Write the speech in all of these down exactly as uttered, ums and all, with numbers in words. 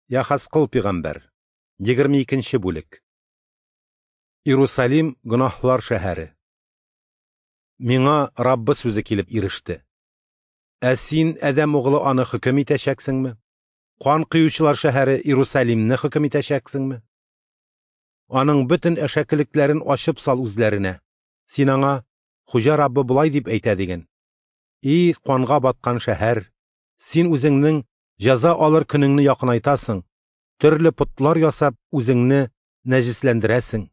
Яхазкыл пигамбәр. Егерме икенче бүлек. Иерусалим гөнаһлар шәһәре. Миңа Раббы сүзе килеп иреште. Ә син, Адәм углы, аны хөкем итәчәксеңме? Кан коючылар шәһәре Иерусалимне хөкем итәчәксеңме? Аның бөтен әшәкелекләрен ачып сал үзләренә. Син аңа, Хуҗа Раббы болай дип әйтә диген: И канга баткан шәһәр, син үзеңнең җәза алыр көнеңне якынайтасың, төрле потлар ясап үзеңне нәҗесләндерәсең.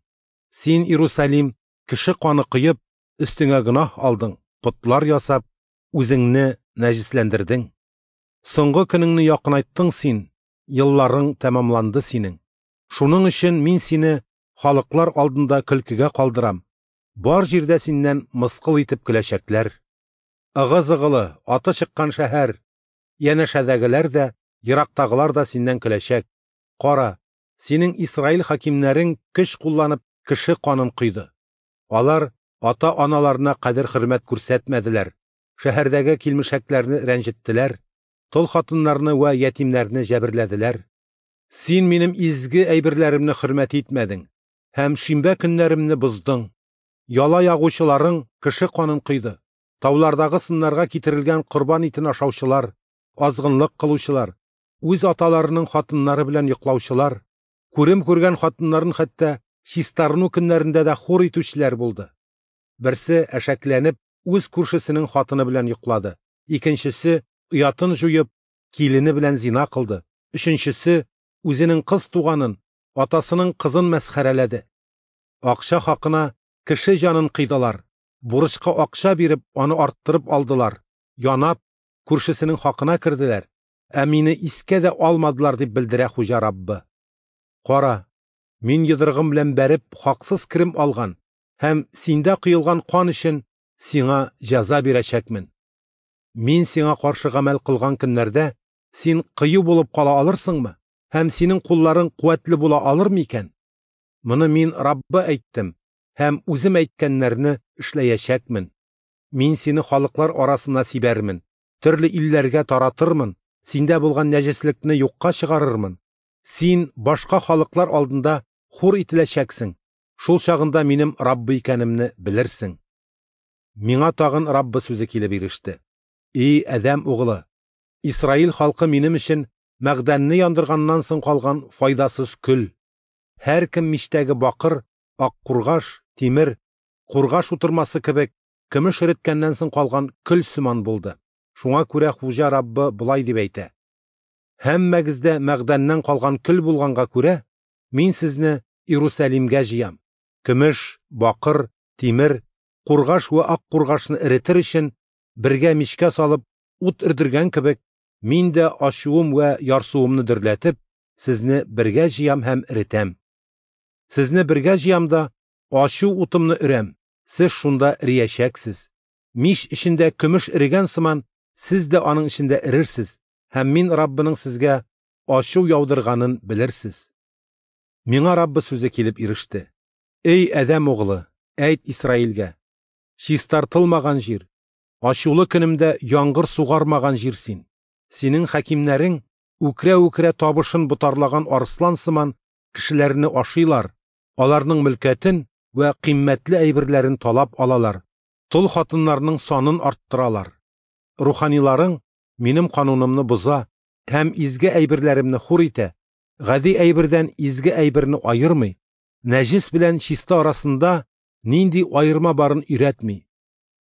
Син, Иерусалим, кеше каны коеп, өстеңә гөнаһ алдың, потлар ясап, үзеңне нәҗесләндердең. Соңгы көнеңне якынайттың син, елларың тәмамланды синең. Шуның өчен мин сине халыклар алдында көлкегә калдырам. Бар җирдә синнән мыскыл итеп көләчәкләр. Ыгы-зыгылы, аты чыккан шәһәр, янәшәдәгеләр дә, ерактагылар да синнән көләчәк. Кара, синең Исраил хакимнәрең көч кулланып кеше канын койды. Алар ата-аналарына кадер-хөрмәт күрсәтмәделәр, шәһәрдәге килмешәкләрне рәнҗеттеләр, тол хатыннарны вә ятимнәрне җәберләделәр. Син минем изге әйберләремне хөрмәт итмәдең һәм шимбә көннәремне боздың. Яла ягучыларың кеше канын койды. Таулардагы сыннарга китерелгән корбан итен ашаучылар, азгынлык кылучылар, үз аталарының хатыннары белән йоклаучылар, күрем күргән хатыннарын хәтта чистарыну көннәрендә дә хур итүчеләр булды. Берсе әшәкләнеп үз күршесенең хатыны белән йоклады, икенчесе оятын җуеп килене белән зина кылды, өченчесе үзенең кыз туганын, атасының кызын мәсхәрәләде. Акча хакына кеше җанын кыйдылар, бурычка акча биреп аны арттырып алдылар, янап күршесенең хакына керделәр, ә мине искә дә алмадылар дип белдерә Хуҗа Раббы. Кара, мин йодрыгым белән бәреп хаксыз керем алган һәм синдә коелган кан өчен сиңа җәза бирәчәкмен. Мин сиңа каршы гамәл кылган көннәрдә син кыю булып кала алырсыңмы? Һәм синең кулларың куәтле була алырмы икән? Моны мин Раббы әйттем һәм үзем әйткәннәрне эшләячәкмен. Мин сине халыклар арасына сибәрмен, төрле илләргә таратырмын, синдә булган нәҗеслекне юкка чыгарырмын. Син башка халыклар алдында хур ителәчәксең. Шул чагында минем Раббы икәнемне белерсең. Миңа тагын Раббы сүзе килеп иреште. И Адәм углы, Исраил халкы минем өчен мәгъдәнне яндырганнан соң калган файдасыз көл. Һәркем мичтәге бакыр, ак кургаш, тимер, кургаш утырмасы кебек көмеш эреткәннән соң калган көл сыман булды. Шуңа күрә Хуҗа Раббы болай дип әйтә: Һәммәгез дә мәгъдәннән калган көл булганга күрә, мин сезне Иерусалимгә җыям. Көмеш, бакыр, тимер, кургаш вә ак кургашны эретер өчен бергә мичкә салып ут өрдергән кебек, мин дә ачуым вә ярсуымны дөрләтеп, сезне бергә җыям һәм эретәм. Сезне бергә җыям да ачу утымны өрәм, сез шунда эриячәксез. Мич эчендә көмеш эрегән сыман, сез дә аның эчендә эрерсез, һәм мин Раббының сезгә ачу яудырганын белерсез. Миңа Раббы сүзе килеп иреште. Эй Адәм углы, әйт Исраилгә: чистартылмаган җир, ачулы көнемдә яңгыр сугармаган җир син. Синең хакимнәрең үкрә-үкрә табышын ботарлаган арыслан сыман кешеләрне ашыйлар, аларның мөлкәтен вә кыйммәтле әйберләрен талап алалар, тол хатыннарның санын арттыралар. Руханиларың минем канунымны боза һәм изге әйберләремне хур итә, гади әйбердән изге әйберне аермый, нәҗес белән чиста арасында нинди аерма барын өйрәтми.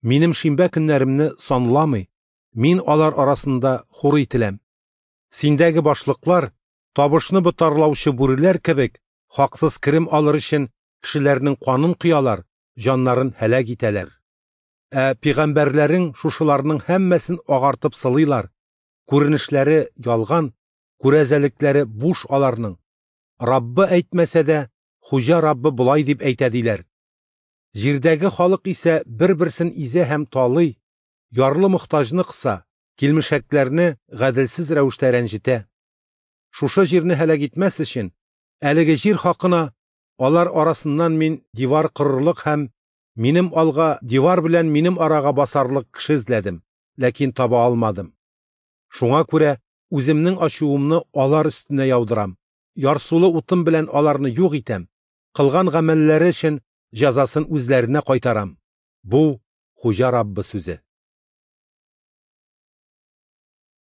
Минем шимбә көннәремне санламый, мин алар арасында хур ителәм. Синдәге башлыклар табышны ботарлаучы бүреләр кебек хаксыз керем алыр өчен кешеләрнең канын коялар, җаннарын һәлак итәләр. Ә пигамбәрләрең шушыларның һәммәсен агартып сылыйлар. Күренешләре ялган, күрәзәлекләре буш аларның. Раббы әйтмәсә дә, Хуҗа Раббы болай дип әйтә диләр. Җирдәге халык исә бер-берсен изә һәм талый, ярлы мохтаҗны кыса, килмешәкләрне гаделсез рәвештә рәнҗетә. Шушы җирне һәлак итмәс өчен, әлеге җир хакына алар арасыннан мин дивар корырлык һәм минем алга дивар белән минем арага басарлык кеше эзләдем, ләкин таба алмадым. Шуңа күрә Үземнең ачуымны алар өстенә яудырам, ярсулы утым белән аларны юк итәм, кылган гамәлләре өчен җәзасын үзләренә кайтарам. Бу – Хуҗа Раббы сүзе.